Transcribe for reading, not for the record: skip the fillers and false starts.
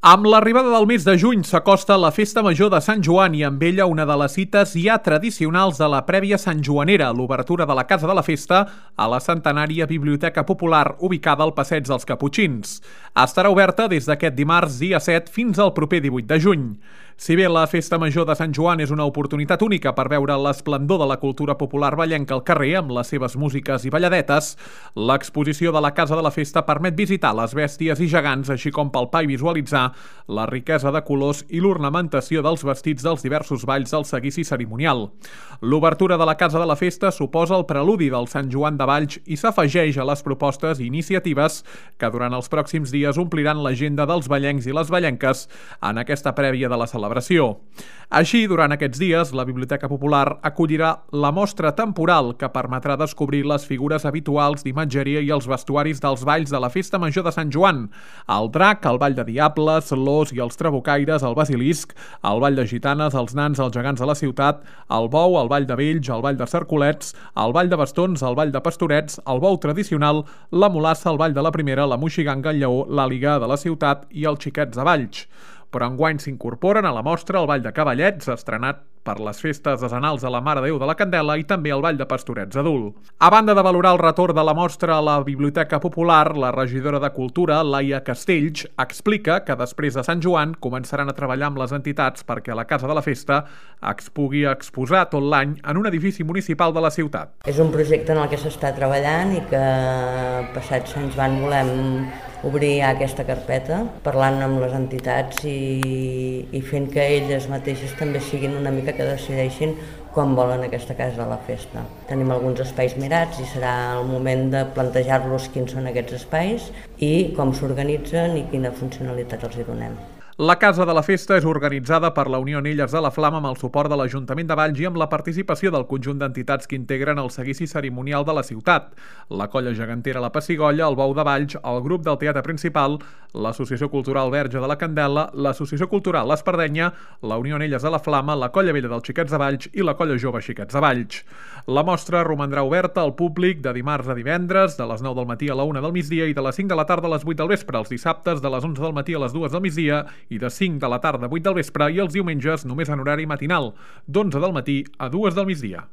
Amb l'arribada del mes de juny s'acosta la Festa Major de Sant Joan i amb ella una de les cites ja tradicionals de la prèvia santjoanera, l'obertura de la Casa de la Festa a la centenària Biblioteca Popular ubicada al Passeig dels Caputxins. Estarà oberta des d'aquest dimarts dia 7 fins al proper 18 de juny. Si bé la Festa Major de Sant Joan és una oportunitat única per veure l'esplendor de la cultura popular vallenca al carrer amb les seves músiques i balladetes, l'exposició de la Casa de la Festa permet visitar les bèsties i gegants, així com palpar i visualitzar la riquesa de colors i l'ornamentació dels vestits dels diversos balls del seguici cerimonial. L'obertura de la Casa de la Festa suposa el preludi del Sant Joan de Valls i s'afegeix a les propostes i iniciatives que durant els pròxims dies ompliran l'agenda dels vallencs i les vallenques en aquesta prèvia de la celebració. Així, durant aquests dies, la Biblioteca Popular acollirà la mostra temporal que permetrà descobrir les figures habituals d'imatgeria i els vestuaris dels balls de la Festa Major de Sant Joan: el drac, el ball de diables, l'os i els trabucaires, el basilisc, el ball de gitanes, els nans, els gegants de la ciutat, el bou, el ball de vells, el ball de cercolets, el ball de bastons, el ball de pastorets, el bou tradicional, la mulassa, el ball de la primera, la moixiganga, el lleó, l'àliga de la ciutat i els xiquets de Valls. Però enguany s'incorporen a la mostra el ball de cavallets, estrenat per les festes decenals de la Mare de Déu de la Candela, i també el ball de pastorets adult. A banda de valorar el retorn de la mostra a la Biblioteca Popular, la regidora de Cultura, Laia Castells, explica que després de Sant Joan començaran a treballar amb les entitats perquè la Casa de la Festa es pugui exposar tot l'any en un edifici municipal de la ciutat. És un projecte en el que s'està treballant i que passat Sant Joan volem obrir aquesta carpeta, parlant amb les entitats i fent que elles mateixes també siguin una mica que decideixin com volen aquesta Casa de la Festa. Tenim alguns espais mirats i serà el moment de plantejar-los quins són aquests espais i com s'organitzen i quina funcionalitat els hi donem. La Casa de la Festa és organitzada per la Unió Anelles de la Flama amb el suport de l'Ajuntament de Valls i amb la participació del conjunt d'entitats que integren el seguici cerimonial de la ciutat: la Colla Gegantera La Pessigolles, el Bou de Valls, el grup del Teatre Principal, l'Associació Cultural Verge de la Candela, l'Associació Cultural l'Espardenya, la Unió Anelles de la Flama, la Colla Vella dels Xiquets de Valls i la Colla Jove Xiquets de Valls. La mostra romandrà oberta al públic de dimarts a divendres, de les 9 del matí a la 1 del migdia i de les 5 de la tarda a les 8 del vespre, els dissabtes de les 11 del matí a les 2 del migdia i de 5 de la tarda a 8 del vespre, i els diumenges només en horari matinal, d'11 del matí a 2 del migdia.